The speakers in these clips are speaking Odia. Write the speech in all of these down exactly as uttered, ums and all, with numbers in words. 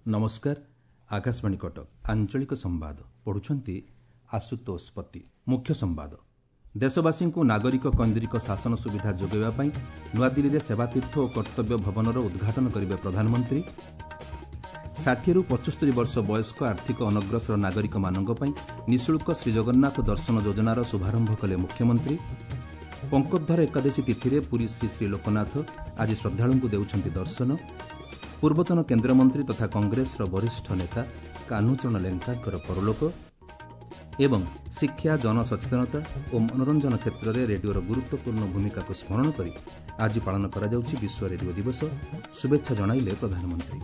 ନମସ୍କାର, ଆକାଶବାଣୀ କଟକ, ଆଞ୍ଚଳିକ ସମ୍ବାଦ ପଢୁଛନ୍ତି ଆଶୁତୋଷ ପତି। ମୁଖ୍ୟ ସମ୍ବାଦ। ଦେଶବାସୀଙ୍କୁ ନାଗରିକ କୈନ୍ଦ୍ରିକ ଶାସନ ସୁବିଧା ଯୋଗାଇବା ପାଇଁ ନୂଆଦିଲ୍ଲୀରେ ସେବାତୀର୍ଥ ଓ କର୍ତ୍ତବ୍ୟ ଭବନର ଉଦ୍ଘାଟନ କରିବେ ପ୍ରଧାନମନ୍ତ୍ରୀ। ଷାଠିଏରୁ ପଞ୍ଚସ୍ତରୀ ବର୍ଷ ବୟସ୍କ ଆର୍ଥିକ ଅନଗ୍ରସର ନାଗରିକମାନଙ୍କ ପାଇଁ ନିଃଶୁଳ୍କ ଶ୍ରୀଜଗନ୍ନାଥ ଦର୍ଶନ ଯୋଜନାର ଶୁଭାରମ୍ଭ କଲେ ମୁଖ୍ୟମନ୍ତ୍ରୀ। ପଙ୍କୋଦ୍ଧାର ଏକାଦଶୀ ତିଥିରେ ପୁରୀ ଶ୍ରୀ ଶ୍ରୀ ଲୋକନାଥ ଆଜି ଶ୍ରଦ୍ଧାଳୁଙ୍କୁ ଦେଉଛନ୍ତି ଦର୍ଶନ। ପୂର୍ବତନ କେନ୍ଦ୍ରମନ୍ତ୍ରୀ ତଥା କଂଗ୍ରେସର ବରିଷ୍ଠ ନେତା କାହ୍ନୁଚରଣ ଲେଙ୍କାଙ୍କର ପରଲୋକ। ଏବଂ ଶିକ୍ଷା, ଜନସଚେତନତା ଓ ମନୋରଞ୍ଜନ କ୍ଷେତ୍ରରେ ରେଡିଓର ଗୁରୁତ୍ୱପୂର୍ଣ୍ଣ ଭୂମିକାକୁ ସ୍ମରଣ କରି ଆଜି ପାଳନ କରାଯାଉଛି ବିଶ୍ୱ ରେଡିଓ ଦିବସ। ଶୁଭେଚ୍ଛା ଜଣାଇଲେ ପ୍ରଧାନମନ୍ତ୍ରୀ।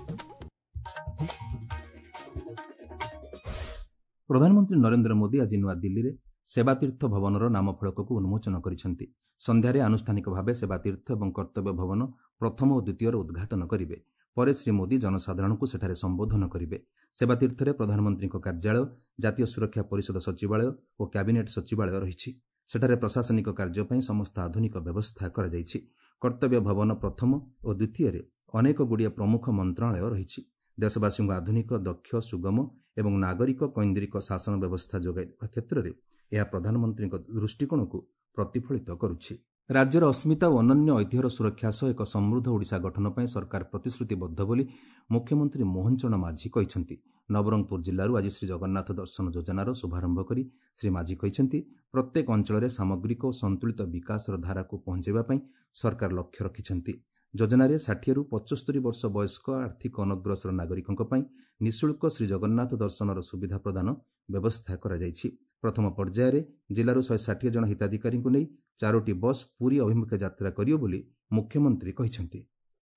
ପ୍ରଧାନମନ୍ତ୍ରୀ ନରେନ୍ଦ୍ର ମୋଦି ଆଜି ନୂଆଦିଲ୍ଲୀରେ ସେବାତୀର୍ଥ ଭବନର ନାମଫଳକକୁ ଉନ୍ମୋଚନ କରିଛନ୍ତି। ସନ୍ଧ୍ୟାରେ ଆନୁଷ୍ଠାନିକ ଭାବେ ସେବାତୀର୍ଥ ଏବଂ କର୍ତ୍ତବ୍ୟ ଭବନ ପ୍ରଥମ ଓ ଦ୍ୱିତୀୟର ଉଦ୍ଘାଟନ କରିବେ। ପରେ ଶ୍ରୀ ମୋଦି ଜନସାଧାରଣଙ୍କୁ ସେଠାରେ ସମ୍ବୋଧନ କରିବେ। ସେବାତୀର୍ଥରେ ପ୍ରଧାନମନ୍ତ୍ରୀଙ୍କ କାର୍ଯ୍ୟାଳୟ, ଜାତୀୟ ସୁରକ୍ଷା ପରିଷଦ ସଚିବାଳୟ ଓ କ୍ୟାବିନେଟ୍ ସଚିବାଳୟ ରହିଛି। ସେଠାରେ ପ୍ରଶାସନିକ କାର୍ଯ୍ୟ ପାଇଁ ସମସ୍ତ ଆଧୁନିକ ବ୍ୟବସ୍ଥା କରାଯାଇଛି। କର୍ତ୍ତବ୍ୟ ଭବନ ପ୍ରଥମ ଓ ଦ୍ୱିତୀୟରେ ଅନେକଗୁଡ଼ିଏ ପ୍ରମୁଖ ମନ୍ତ୍ରଣାଳୟ ରହିଛି। ଦେଶବାସୀଙ୍କୁ ଆଧୁନିକ, ଦକ୍ଷ, ସୁଗମ ଏବଂ ନାଗରିକ କୈନ୍ଦ୍ରିକ ଶାସନ ବ୍ୟବସ୍ଥା ଯୋଗାଇ ଦେବା କ୍ଷେତ୍ରରେ ଏହା ପ୍ରଧାନମନ୍ତ୍ରୀଙ୍କ ଦୃଷ୍ଟିକୋଣକୁ ପ୍ରତିଫଳିତ କରୁଛି। ରାଜ୍ୟର ଅସ୍ମିତା ଓ ଅନନ୍ୟ ଐତିହ୍ୟର ସୁରକ୍ଷା ସହ ଏକ ସମୃଦ୍ଧ ଓଡ଼ିଶା ଗଠନ ପାଇଁ ସରକାର ପ୍ରତିଶ୍ରୁତିବଦ୍ଧ ବୋଲି ମୁଖ୍ୟମନ୍ତ୍ରୀ ମୋହନ ଚରଣ ମାଝୀ କହିଛନ୍ତି। ନବରଙ୍ଗପୁର ଜିଲ୍ଲାରୁ ଆଜି ଶ୍ରୀ ଜଗନ୍ନାଥ ଦର୍ଶନ ଯୋଜନାର ଶୁଭାରମ୍ଭ କରି ଶ୍ରୀ ମାଝୀ କହିଛନ୍ତି, ପ୍ରତ୍ୟେକ ଅଞ୍ଚଳରେ ସାମଗ୍ରିକ ଓ ସନ୍ତୁଳିତ ବିକାଶର ଧାରାକୁ ପହଞ୍ଚାଇବା ପାଇଁ ସରକାର ଲକ୍ଷ୍ୟ ରଖିଛନ୍ତି। ଯୋଜନାରେ ଷାଠିଏରୁ ପଞ୍ଚସ୍ତରୀ ବର୍ଷ ବୟସ୍କ ଆର୍ଥିକ ଅନଗ୍ରସର ନାଗରିକଙ୍କ ପାଇଁ ନିଃଶୁଳ୍କ ଶ୍ରୀଜଗନ୍ନାଥ ଦର୍ଶନର ସୁବିଧା ପ୍ରଦାନ ବ୍ୟବସ୍ଥା କରାଯାଇଛି। ପ୍ରଥମ ପର୍ଯ୍ୟାୟରେ ଜିଲ୍ଲାରୁ ଶହେ ଷାଠିଏ ଜଣ ହିତାଧିକାରୀଙ୍କୁ ନେଇ ଚାରୋଟି ବସ୍ ପୁରୀ ଅଭିମୁଖେ ଯାତ୍ରା କରିବ ବୋଲି ମୁଖ୍ୟମନ୍ତ୍ରୀ କହିଛନ୍ତି।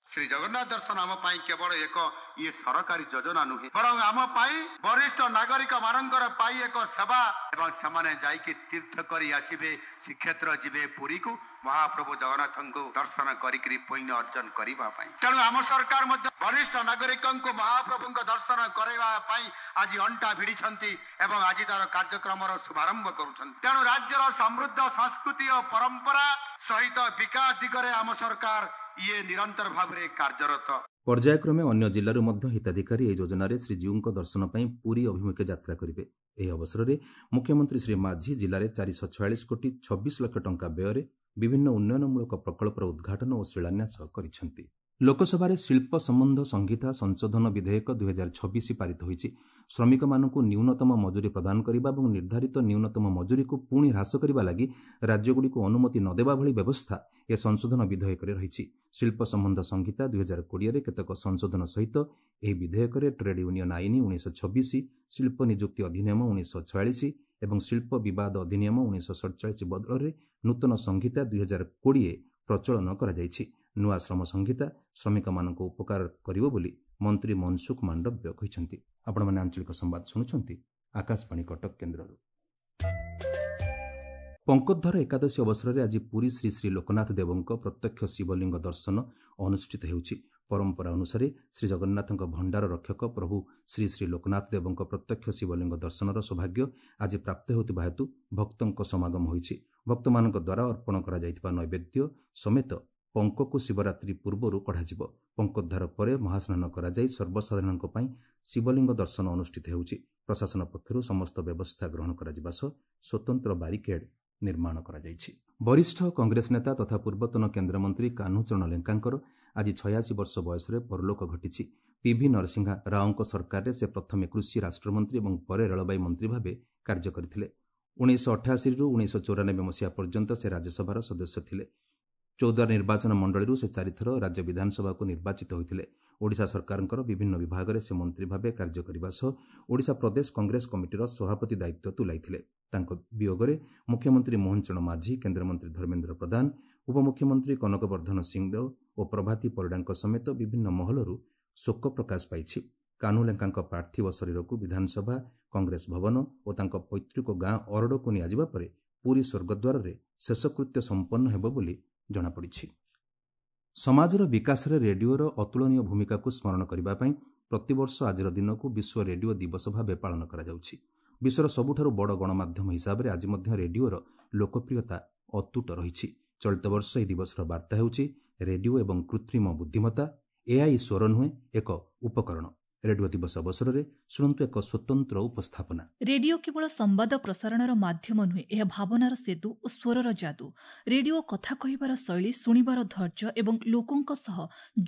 ଶ୍ରୀ ଜଗନ୍ନାଥ ଦର୍ଶନ ଆମ ପାଇଁ କେବଳ ଏକ ଇଏ ସରକାରୀ ଯୋଜନା ନୁହେଁ, ବରଂ ଆମ ପାଇଁ ବରିଷ୍ଠ ନାଗରିକ ମାନଙ୍କର ପାଇଁ ଏକ ସେବା। ଏବଂ ସେମାନେ ଯାଇକି ତୀର୍ଥ କରି ଆସିବେ, ଶ୍ରୀକ୍ଷେତ୍ର ଯିବେ ପୁରୀକୁ ମହାପ୍ରଭୁ ଜଗନ୍ନାଥଙ୍କୁ ଦର୍ଶନ କରିକିରି ପୁଣ୍ୟ ଅର୍ଜନ କରିବା ପାଇଁ। ତେଣୁ ଆମ ସରକାର ମଧ୍ୟ ବରିଷ୍ଠ ନାଗରିକଙ୍କୁ ମହାପ୍ରଭୁଙ୍କ ଦର୍ଶନ କରାଇବା ପାଇଁ ଆଜି ଅଣ୍ଟା ଭିଡ଼ିଛନ୍ତି ଏବଂ ଆଜି ତାର କାର୍ଯ୍ୟକ୍ରମର ଶୁଭାରମ୍ଭ କରୁଛନ୍ତି। ତେଣୁ ରାଜ୍ୟର ସମୃଦ୍ଧ ସଂସ୍କୃତି ଓ ପରମ୍ପରା ସହିତ ବିକାଶ ଦିଗରେ ଆମ ସରକାର ଇଏ ନିରନ୍ତର ଭାବରେ କାର୍ଯ୍ୟରତ। ପର୍ଯ୍ୟାୟକ୍ରମେ ଅନ୍ୟ ଜିଲ୍ଲାରୁ ମଧ୍ୟ ହିତାଧିକାରୀ ଏହି ଯୋଜନାରେ ଶ୍ରୀଜୀଉଙ୍କ ଦର୍ଶନ ପାଇଁ ପୁରୀ ଅଭିମୁଖେ ଯାତ୍ରା କରିବେ। ଏହି ଅବସରରେ ମୁଖ୍ୟମନ୍ତ୍ରୀ ଶ୍ରୀ ମାଝୀ ଜିଲ୍ଲାରେ ଚାରିଶହ ଛୟାଳିଶ କୋଟି ଛବିଶ ଲକ୍ଷ ଟଙ୍କା ବ୍ୟୟରେ ବିଭିନ୍ନ ଉନ୍ନୟନମୂଳକ ପ୍ରକଳ୍ପର ଉଦ୍ଘାଟନ ଓ ଶିଳାନ୍ୟାସ କରିଛନ୍ତି। ଲୋକସଭାରେ ଶିଳ୍ପ ସମ୍ବନ୍ଧ ସଂହିତା ସଂଶୋଧନ ବିଧେୟକ ଦୁଇହଜାର ଛବିଶ ପାରିତ ହୋଇଛି। ଶ୍ରମିକମାନଙ୍କୁ ନ୍ୟୁନତମ ମଜୁରୀ ପ୍ରଦାନ କରିବା ଏବଂ ନିର୍ଦ୍ଧାରିତ ନ୍ୟୁନତମ ମଜୁରୀକୁ ପୁଣି ହ୍ରାସ କରିବା ଲାଗି ରାଜ୍ୟଗୁଡ଼ିକୁ ଅନୁମତି ନ ଦେବା ଭଳି ବ୍ୟବସ୍ଥା ଏ ସଂଶୋଧନ ବିଧେୟକରେ ରହିଛି। ଶିଳ୍ପ ସମ୍ବନ୍ଧ ସଂହିତା ଦୁଇହଜାର କୋଡ଼ିଏରେ କେତେକ ସଂଶୋଧନ ସହିତ ଏହି ବିଧେୟକରେ ଟ୍ରେଡ୍ ୟୁନିୟନ ଆଇନ ଉଣେଇଶହ ଛବିଶ, ଶିଳ୍ପ ନିଯୁକ୍ତି ଅଧିନିୟମ ଉଣେଇଶହ ଛୟାଳିଶ ଏବଂ ଶିଳ୍ପ ବିବାଦ ଅଧିନିୟମ ଉଣେଇଶହ ସଡ଼ଚାଳିଶ ବଦଳରେ ନୂତନ ସଂହିତା ଦୁଇହଜାର କୋଡ଼ିଏ ପ୍ରଚଳନ କରାଯାଇଛି। ନୂଆ ଶ୍ରମ ସଂହିତା ଶ୍ରମିକମାନଙ୍କୁ ଉପକାର କରିବ ବୋଲି ମନ୍ତ୍ରୀ ମନସୁଖ ମାଣ୍ଡବ୍ୟ କହିଛନ୍ତି। ଆପଣମାନେ ଆଞ୍ଚଳିକ ସମ୍ବାଦ ଶୁଣୁଛନ୍ତି ଆକାଶବାଣୀ କଟକ କେନ୍ଦ୍ରରୁ। ପଙ୍କୋଦ୍ଧାର ଏକାଦଶୀ ଅବସରରେ ଆଜି ପୁରୀ ଶ୍ରୀ ଶ୍ରୀ ଲୋକନାଥ ଦେବଙ୍କ ପ୍ରତ୍ୟକ୍ଷ ଶିବଲିଙ୍ଗ ଦର୍ଶନ ଅନୁଷ୍ଠିତ ହେଉଛି। ପରମ୍ପରା ଅନୁସାରେ ଶ୍ରୀଜଗନ୍ନାଥଙ୍କ ଭଣ୍ଡାର ରକ୍ଷକ ପ୍ରଭୁ ଶ୍ରୀ ଶ୍ରୀ ଲୋକନାଥ ଦେବଙ୍କ ପ୍ରତ୍ୟକ୍ଷ ଶିବଲିଙ୍ଗ ଦର୍ଶନର ସୌଭାଗ୍ୟ ଆଜି ପ୍ରାପ୍ତ ହେଉଥିବା ହେତୁ ଭକ୍ତଙ୍କ ସମାଗମ ହୋଇଛି। ଭକ୍ତମାନଙ୍କ ଦ୍ୱାରା ଅର୍ପଣ କରାଯାଇଥିବା ନୈବେଦ୍ୟ ସମେତ ପଙ୍କକୁ ଶିବରାତ୍ରି ପୂର୍ବରୁ କଢ଼ାଯିବ। ପଙ୍କୋଦ୍ଧାର ପରେ ମହାସ୍ନାନ କରାଯାଇ ସର୍ବସାଧାରଣଙ୍କ ପାଇଁ ଶିବଲିଙ୍ଗ ଦର୍ଶନ ଅନୁଷ୍ଠିତ ହେଉଛି। ପ୍ରଶାସନ ପକ୍ଷରୁ ସମସ୍ତ ବ୍ୟବସ୍ଥା ଗ୍ରହଣ କରାଯିବା ସହ ସ୍ୱତନ୍ତ୍ର ବାରିକେଡ୍ ନିର୍ମାଣ କରାଯାଇଛି। ବରିଷ୍ଠ କଂଗ୍ରେସ ନେତା ତଥା ପୂର୍ବତନ କେନ୍ଦ୍ରମନ୍ତ୍ରୀ କାହ୍ନୁଚରଣ ଲେଙ୍କାଙ୍କର ଆଜି ଛୟାଅଶୀ ବର୍ଷ ବୟସରେ ପରଲୋକ ଘଟିଛି। ପିଭି ନରସିଂହା ରାଓଙ୍କ ସରକାରରେ ସେ ପ୍ରଥମେ କୃଷି ରାଷ୍ଟ୍ରମନ୍ତ୍ରୀ ଏବଂ ପରେ ରେଳବାଇ ମନ୍ତ୍ରୀ ଭାବେ କାର୍ଯ୍ୟ କରିଥିଲେ। ଉଣେଇଶହ ଅଠାଅଶୀରୁ ଉଣେଇଶହ ଚଉରାନବେ ମସିହା ପର୍ଯ୍ୟନ୍ତ ସେ ରାଜ୍ୟସଭାର ସଦସ୍ୟ ଥିଲେ। ଚୌଦ୍ୱାର ନିର୍ବାଚନ ମଣ୍ଡଳୀରୁ ସେ ଚାରିଥର ରାଜ୍ୟ ବିଧାନସଭାକୁ ନିର୍ବାଚିତ ହୋଇଥିଲେ। ଓଡ଼ିଶା ସରକାରଙ୍କର ବିଭିନ୍ନ ବିଭାଗରେ ସେ ମନ୍ତ୍ରୀ ଭାବେ କାର୍ଯ୍ୟ କରିବା ସହ ଓଡ଼ିଶା ପ୍ରଦେଶ କଂଗ୍ରେସ କମିଟିର ସଭାପତି ଦାୟିତ୍ୱ ତୁଲାଇଥିଲେ। ତାଙ୍କ ବିୟୋଗରେ ମୁଖ୍ୟମନ୍ତ୍ରୀ ମୋହନ ଚରଣ ମାଝୀ, କେନ୍ଦ୍ରମନ୍ତ୍ରୀ ଧର୍ମେନ୍ଦ୍ର ପ୍ରଧାନ, ଉପମୁଖ୍ୟମନ୍ତ୍ରୀ କନକବର୍ଦ୍ଧନ ସିଂହଦେଓ ଓ ପ୍ରଭାତୀ ପରିଡ଼ାଙ୍କ ସମେତ ବିଭିନ୍ନ ମହଲରୁ ଶୋକ ପ୍ରକାଶ ପାଇଛି। କାହ୍ନୁ ଲେଙ୍କାଙ୍କ ପାର୍ଥିବ ଶରୀରକୁ ବିଧାନସଭା, କଂଗ୍ରେସ ଭବନ ଓ ତାଙ୍କ ପୈତୃକ ଗାଁ ଅରଡ଼କୁ ନିଆଯିବା ପରେ ପୁରୀ ସ୍ୱର୍ଗଦ୍ୱାରରେ ଶେଷକୃତ୍ୟ ସମ୍ପନ୍ନ ହେବ ବୋଲି ଜଣାପଡ଼ିଛି। ସମାଜର ବିକାଶରେ ରେଡିଓର ଅତୁଳନୀୟ ଭୂମିକାକୁ ସ୍ମରଣ କରିବା ପାଇଁ ପ୍ରତିବର୍ଷ ଆଜିର ଦିନକୁ ବିଶ୍ୱ ରେଡିଓ ଦିବସ ଭାବେ ପାଳନ କରାଯାଉଛି। ବିଶ୍ୱର ସବୁଠାରୁ ବଡ଼ ଗଣମାଧ୍ୟମ ହିସାବରେ ଆଜି ମଧ୍ୟ ରେଡିଓର ଲୋକପ୍ରିୟତା ଅତୁଟ ରହିଛି। ଚଳିତ ବର୍ଷ ଏହି ଦିବସର ବାର୍ତ୍ତା ହେଉଛି ରେଡିଓ ଏବଂ କୃତ୍ରିମ ବୁଦ୍ଧିମତ୍ତା, ଏଆଇ ସ୍ୱର ନୁହେଁ ଏକ ଉପକରଣ। ରେଡିଓ ଦିବସ ଅବସରରେ ଶୁଣନ୍ତୁ ଏକ ସ୍ୱତନ୍ତ୍ର ଉପସ୍ଥାପନା। ରେଡିଓ କେବଳ ସମ୍ବାଦ ପ୍ରସାରଣର ମାଧ୍ୟମ ନୁହେଁ, ଏହା ଭାବନାର ସେତୁ ଓ ସ୍ୱରର ଯାଦୁ। ରେଡିଓ କଥା କହିବାର ଶୈଳୀ, ଶୁଣିବାର ଧୈର୍ଯ୍ୟ ଏବଂ ଲୋକଙ୍କ ସହ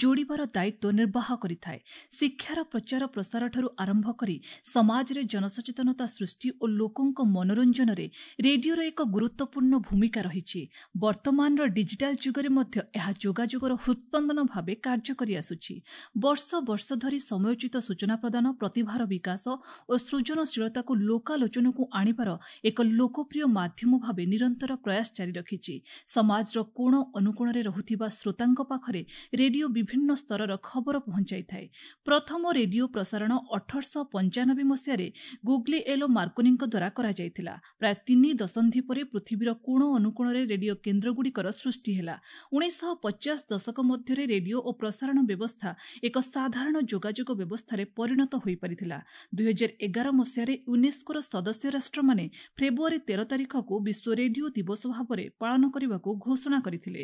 ଯୋଡ଼ିବାର ଦାୟିତ୍ୱ ନିର୍ବାହ କରିଥାଏ। ଶିକ୍ଷାର ପ୍ରଚାର ପ୍ରସାରଠାରୁ ଆରମ୍ଭ କରି ସମାଜରେ ଜନସଚେତନତା ସୃଷ୍ଟି ଓ ଲୋକଙ୍କ ମନୋରଞ୍ଜନରେ ରେଡିଓର ଏକ ଗୁରୁତ୍ୱପୂର୍ଣ୍ଣ ଭୂମିକା ରହିଛି। ବର୍ତ୍ତମାନର ଡିଜିଟାଲ ଯୁଗରେ ମଧ୍ୟ ଏହା ଯୋଗାଯୋଗର ହୃତ୍ସ୍ପନ୍ଦନ ଭାବେ କାର୍ଯ୍ୟ କରିଆସୁଛି। ବର୍ଷ ବର୍ଷ ଧରି ସମୟୋଚିତ ସୂଚନା ପ୍ରଦାନ, ପ୍ରତିଭାର ବିକାଶ ଓ ସୃଜନଶୀଳତାକୁ ଲୋକାଲୋଚନକୁ ଆଣିବାର ଏକ ଲୋକପ୍ରିୟ ମାଧ୍ୟମ ଭାବେ ନିରନ୍ତର ପ୍ରୟାସ ଜାରି ରଖିଛି। ସମାଜର କୋଣ ଅନୁକୋଣରେ ରହୁଥିବା ଶ୍ରୋତାଙ୍କ ପାଖରେ ରେଡିଓ ବିଭିନ୍ନ ସ୍ତରର ଖବର ପହଞ୍ଚାଇଥାଏ। ପ୍ରଥମ ରେଡିଓ ପ୍ରସାରଣ ଅଠରଶହ ପଞ୍ଚାନବେ ମସିହାରେ ଗୁଗ୍ଲିଏଲୋ ମାର୍କୋନିଙ୍କ ଦ୍ୱାରା କରାଯାଇଥିଲା। ପ୍ରାୟ ତିନି ଦଶନ୍ଧି ପରେ ପୃଥିବୀର କୋଣ ଅନୁକୋଣରେ ରେଡିଓ କେନ୍ଦ୍ରଗୁଡ଼ିକର ସୃଷ୍ଟି ହେଲା। ଉଣେଇଶହ ପଚାଶ ଦଶକ ମଧ୍ୟରେ ରେଡିଓ ଓ ପ୍ରସାରଣ ବ୍ୟବସ୍ଥା ଏକ ସାଧାରଣ ଯୋଗାଯୋଗ ବ୍ୟବସ୍ଥାରେ ପରିଣତ ହୋଇପାରିଥିଲା। ଦୁଇହଜାର ଏଗାର ମସିହାରେ ୟୁନେସ୍କୋର ସଦସ୍ୟ ରାଷ୍ଟ୍ରମାନେ ଫେବୃଆରୀ ତେର ତାରିଖକୁ ବିଶ୍ୱ ରେଡିଓ ଦିବସ ଭାବରେ ପାଳନ କରିବାକୁ ଘୋଷଣା କରିଥିଲେ।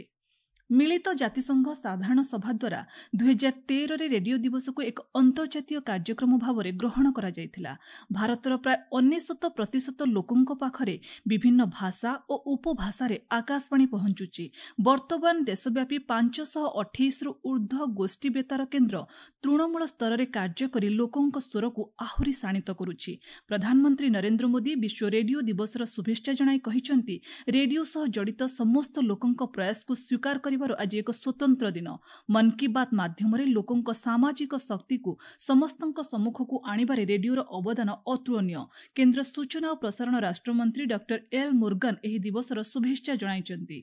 ମିଳିତ ଜାତିସଂଘ ସାଧାରଣ ସଭା ଦ୍ୱାରା ଦୁଇହଜାର ତେରରେ ରେଡିଓ ଦିବସକୁ ଏକ ଅନ୍ତର୍ଜାତୀୟ କାର୍ଯ୍ୟକ୍ରମ ଭାବରେ ଗ୍ରହଣ କରାଯାଇଥିଲା। ଭାରତର ପ୍ରାୟ ଅନେଶତ ପ୍ରତିଶତ ଲୋକଙ୍କ ପାଖରେ ବିଭିନ୍ନ ଭାଷା ଓ ଉପଭାଷାରେ ଆକାଶବାଣୀ ପହଞ୍ଚୁଛି। ବର୍ତ୍ତମାନ ଦେଶବ୍ୟାପୀ ପାଞ୍ଚଶହ ଅଠେଇଶରୁ ଊର୍ଦ୍ଧ୍ୱ ଗୋଷ୍ଠୀ ବେତାର କେନ୍ଦ୍ର ତୃଣମୂଳ ସ୍ତରରେ କାର୍ଯ୍ୟ କରି ଲୋକଙ୍କ ସ୍ୱରକୁ ଆହୁରି ଶାଣିତ କରୁଛି। ପ୍ରଧାନମନ୍ତ୍ରୀ ନରେନ୍ଦ୍ର ମୋଦି ବିଶ୍ୱ ରେଡିଓ ଦିବସର ଶୁଭେଚ୍ଛା ଜଣାଇ କହିଛନ୍ତି, ରେଡିଓ ସହ ଜଡ଼ିତ ସମସ୍ତ ଲୋକଙ୍କ ପ୍ରୟାସକୁ ସ୍ୱୀକାର କରିବାର ଆଜି ଏକ ସ୍ୱତନ୍ତ୍ର ଦିନ। ମନ୍ କି ବାତ୍ ମାଧ୍ୟମରେ ଲୋକଙ୍କ ସାମାଜିକ ଶକ୍ତିକୁ ସମସ୍ତଙ୍କ ସମ୍ମୁଖକୁ ଆଣିବାରେ ରେଡିଓର ଅବଦାନ ଅତୁଳନୀୟ। କେନ୍ଦ୍ର ସୂଚନା ଓ ପ୍ରସାରଣ ରାଷ୍ଟ୍ରମନ୍ତ୍ରୀ ଡକ୍ଟର ଏଲ୍ ମୁର୍ଗନ ଏହି ଦିବସର ଶୁଭେଚ୍ଛା ଜଣାଇଛନ୍ତି।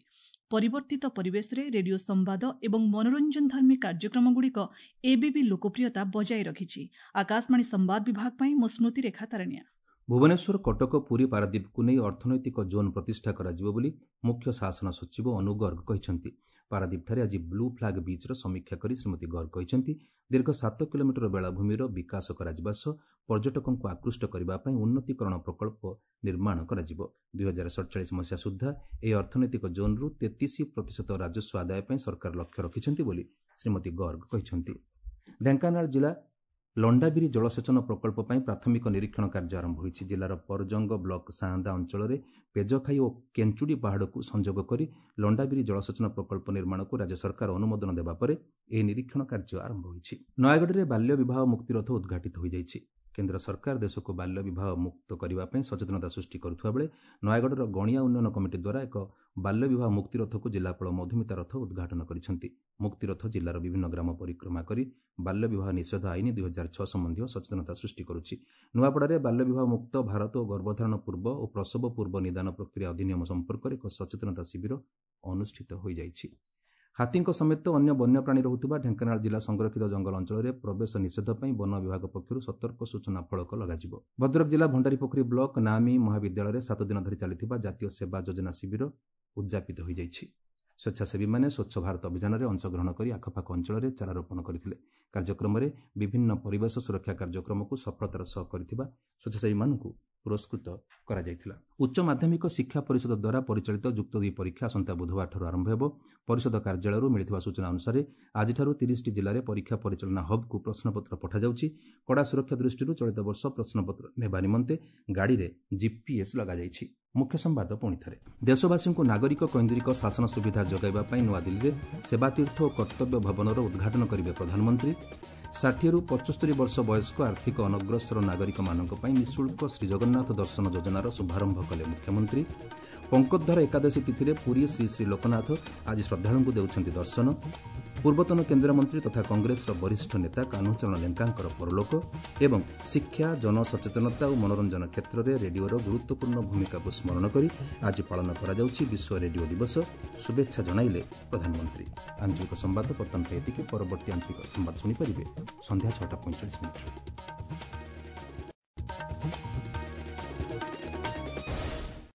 ପରିବର୍ତ୍ତିତ ପରିବେଶରେ ରେଡିଓ ସମ୍ବାଦ ଏବଂ ମନୋରଞ୍ଜନଧର୍ମୀ କାର୍ଯ୍ୟକ୍ରମଗୁଡ଼ିକ ଏବେ ବି ଲୋକପ୍ରିୟତା ବଜାୟ ରଖିଛି। ଆକାଶବାଣୀ ସମ୍ବାଦ ବିଭାଗ ପାଇଁ ମୁଁ ସ୍ମୃତିରେଖା ତାରଣିଆ। ଭୁବନେଶ୍ୱର, କଟକ, ପୁରୀ, ପାରାଦୀପକୁ ନେଇ ଅର୍ଥନୈତିକ ଜୋନ୍ ପ୍ରତିଷ୍ଠା କରାଯିବ ବୋଲି ମୁଖ୍ୟ ଶାସନ ସଚିବ ଅନୁ ଗର୍ଗ କହିଛନ୍ତି। ପାରାଦୀପଠାରେ ଆଜି ବ୍ଲୁ ଫ୍ଲାଗ୍ ବିଚ୍ର ସମୀକ୍ଷା କରି ଶ୍ରୀମତୀ ଗର୍ଗ କହିଛନ୍ତି, ଦୀର୍ଘ ସାତ କିଲୋମିଟର ବେଳାଭୂମିର ବିକାଶ କରାଯିବା ସହ ପର୍ଯ୍ୟଟକଙ୍କୁ ଆକୃଷ୍ଟ କରିବା ପାଇଁ ଉନ୍ନତିକରଣ ପ୍ରକଳ୍ପ ନିର୍ମାଣ କରାଯିବ। ଦୁଇହଜାର ସଡ଼ଚାଳିଶ ମସିହା ସୁଦ୍ଧା ଏହି ଅର୍ଥନୈତିକ ଜୋନ୍ରୁ ତେତିଶ ପ୍ରତିଶତ ରାଜସ୍ୱ ଆଦାୟ ପାଇଁ ସରକାର ଲକ୍ଷ୍ୟ ରଖିଛନ୍ତି ବୋଲି ଶ୍ରୀମତୀ ଗର୍ଗ କହିଛନ୍ତି। ଢେଙ୍କାନାଳ ଜିଲ୍ଲା ଲଣ୍ଡାବିରି ଜଳସେଚନ ପ୍ରକଳ୍ପ ପାଇଁ ପ୍ରାଥମିକ ନିରୀକ୍ଷଣ କାର୍ଯ୍ୟ ଆରମ୍ଭ ହୋଇଛି। ଜିଲ୍ଲାର ପରଜଙ୍ଗ ବ୍ଲକ ସାଆନ୍ଦା ଅଞ୍ଚଳରେ ପେଜଖାଇ ଓ କେଞ୍ଚୁଡ଼ି ପାହାଡ଼କୁ ସଂଯୋଗ କରି ଲଣ୍ଡାବିରି ଜଳସେଚନ ପ୍ରକଳ୍ପ ନିର୍ମାଣକୁ ରାଜ୍ୟ ସରକାର ଅନୁମୋଦନ ଦେବା ପରେ ଏହି ନିରୀକ୍ଷଣ କାର୍ଯ୍ୟ ଆରମ୍ଭ ହୋଇଛି। ନୟାଗଡ଼ରେ ବାଲ୍ୟ ବିବାହ ମୁକ୍ତିରଥ ଉଦ୍ଘାଟିତ ହୋଇଯାଇଛି। କେନ୍ଦ୍ର ସରକାର ଦେଶକୁ ବାଲ୍ୟ ବିବାହ ମୁକ୍ତ କରିବା ପାଇଁ ସଚେତନତା ସୃଷ୍ଟି କରୁଥିବା ବେଳେ ନୟାଗଡ଼ର ଗଣିଆ ଉନ୍ନୟନ କମିଟି ଦ୍ୱାରା ଏକ ବାଲ୍ୟ ବିବାହ ମୁକ୍ତିରଥକୁ ଜିଲ୍ଲାପାଳ ମଧୁମିତା ରଥ ଉଦ୍ଘାଟନ କରିଛନ୍ତି। ମୁକ୍ତିରଥ ଜିଲ୍ଲାର ବିଭିନ୍ନ ଗ୍ରାମ ପରିକ୍ରମା କରି ବାଲ୍ୟ ବିବାହ ନିଷେଧ ଆଇନ ଦୁଇହଜାର ଛଅ ସମ୍ବନ୍ଧୀୟ ସଚେତନତା ସୃଷ୍ଟି କରୁଛି। ନୂଆପଡ଼ାରେ ବାଲ୍ୟ ବିବାହ ମୁକ୍ତ ଭାରତ ଓ ଗର୍ଭଧାରଣ ପୂର୍ବ ଓ ପ୍ରସବ ପୂର୍ବ ନିଦାନ ପ୍ରକ୍ରିୟା ଅଧିନିୟମ ସମ୍ପର୍କରେ ଏକ ସଚେତନତା ଶିବିର ଅନୁଷ୍ଠିତ ହୋଇଯାଇଛି। ହାତୀଙ୍କ ସମେତ ଅନ୍ୟ ବନ୍ୟପ୍ରାଣୀ ରହୁଥିବା ଢେଙ୍କାନାଳ ଜିଲ୍ଲା ସଂରକ୍ଷିତ ଜଙ୍ଗଲ ଅଞ୍ଚଳରେ ପ୍ରବେଶ ନିଷେଧ ପାଇଁ ବନ ବିଭାଗ ପକ୍ଷରୁ ସତର୍କ ସୂଚନା ଫଳକ ଲଗାଯିବ। ଭଦ୍ରକ ଜିଲ୍ଲା ଭଣ୍ଡାରୀପୋଖରୀ ବ୍ଲକ ନାମୀ ମହାବିଦ୍ୟାଳୟରେ ସାତ ଦିନ ଧରି ଚାଲିଥିବା ଜାତୀୟ ସେବା ଯୋଜନା ଶିବିର ଉଦ୍ଯାପିତ ହୋଇଯାଇଛି। ସ୍ୱେଚ୍ଛାସେବୀମାନେ ସ୍ୱଚ୍ଛ ଭାରତ ଅଭିଯାନରେ ଅଂଶଗ୍ରହଣ କରି ଆଖପାଖ ଅଞ୍ଚଳରେ ଚାରା ରୋପଣ କରିଥିଲେ। କାର୍ଯ୍ୟକ୍ରମରେ ବିଭିନ୍ନ ପରିବେଶ ସୁରକ୍ଷା କାର୍ଯ୍ୟକ୍ରମକୁ ସଫଳତାର ସହ କରିଥିବା ସ୍ୱେଚ୍ଛାସେବୀମାନଙ୍କୁ ପୁରସ୍କୃତ କରାଯାଇଥିଲା। ଉଚ୍ଚ ମାଧ୍ୟମିକ ଶିକ୍ଷା ପରିଷଦ ଦ୍ୱାରା ପରିଚାଳିତ ଯୁକ୍ତ ଦୁଇ ପରୀକ୍ଷା ଆସନ୍ତା ବୁଧବାରଠାରୁ ଆରମ୍ଭ ହେବ। ପରିଷଦ କାର୍ଯ୍ୟାଳୟରୁ ମିଳିଥିବା ସୂଚନା ଅନୁସାରେ ଆଜିଠାରୁ ତିରିଶଟି ଜିଲ୍ଲାରେ ପରୀକ୍ଷା ପରିଚାଳନା ହବ୍କୁ ପ୍ରଶ୍ନପତ୍ର ପଠାଯାଉଛି। କଡ଼ା ସୁରକ୍ଷା ଦୃଷ୍ଟିରୁ ଚଳିତ ବର୍ଷ ପ୍ରଶ୍ନପତ୍ର ନେବା ନିମନ୍ତେ ଗାଡ଼ିରେ ଜିପିଏସ୍ ଲଗାଯାଇଛି। ମୁଖ୍ୟ ସମ୍ବାଦ ପୁଣି ଥରେ। ଦେଶବାସୀଙ୍କୁ ନାଗରିକ କୈନ୍ଦ୍ରିକ ଶାସନ ସୁବିଧା ଯୋଗାଇବା ପାଇଁ ନୂଆଦିଲ୍ଲୀରେ ସେବାତୀର୍ଥ ଓ କର୍ତ୍ତବ୍ୟ ଭବନର ଉଦ୍ଘାଟନ କରିବେ ପ୍ରଧାନମନ୍ତ୍ରୀ। ଷାଠିଏରୁ ପଞ୍ଚସ୍ତରୀ ବର୍ଷ ବୟସ୍କ ଆର୍ଥିକ ଅନଗ୍ରସର ନାଗରିକମାନଙ୍କ ପାଇଁ ନିଃଶୁଳ୍କ ଶ୍ରୀଜଗନ୍ନାଥ ଦର୍ଶନ ଯୋଜନାର ଶୁଭାରମ୍ଭ କଲେ ମୁଖ୍ୟମନ୍ତ୍ରୀ। ପଙ୍କୋଦ୍ଧାର ଏକାଦଶୀ ତିଥିରେ ପୁରୀ ଶ୍ରୀ ଶ୍ରୀ ଲୋକନାଥ ଆଜି ଶ୍ରଦ୍ଧାଳୁଙ୍କୁ ଦେଉଛନ୍ତି ଦର୍ଶନ। ପୂର୍ବତନ କେନ୍ଦ୍ରମନ୍ତ୍ରୀ ତଥା କଂଗ୍ରେସର ବରିଷ୍ଠ ନେତା କାହ୍ନୁଚରଣ ଲେଙ୍କାଙ୍କର ପରଲୋକ। ଏବଂ ଶିକ୍ଷା, ଜନସଚେତନତା ଓ ମନୋରଞ୍ଜନ କ୍ଷେତ୍ରରେ ରେଡିଓର ଗୁରୁତ୍ୱପୂର୍ଣ୍ଣ ଭୂମିକାକୁ ସ୍ମରଣ କରି ଆଜି ପାଳନ କରାଯାଉଛି ବିଶ୍ୱ ରେଡିଓ ଦିବସ। ଶୁଭେଚ୍ଛା ଜଣାଇଲେ ପ୍ରଧାନମନ୍ତ୍ରୀ। ଆଞ୍ଚଳିକ ସମ୍ବାଦ ବର୍ତ୍ତମାନ ପାଇଁ ଏତିକି। ପରବର୍ତ୍ତୀ ଆଞ୍ଚଳିକ ସମ୍ବାଦ ଶୁଣିପାରିବେ ସନ୍ଧ୍ୟା ଛଅଟା ପଇଁଚାଳିଶ ମିନିଟ୍ରେ।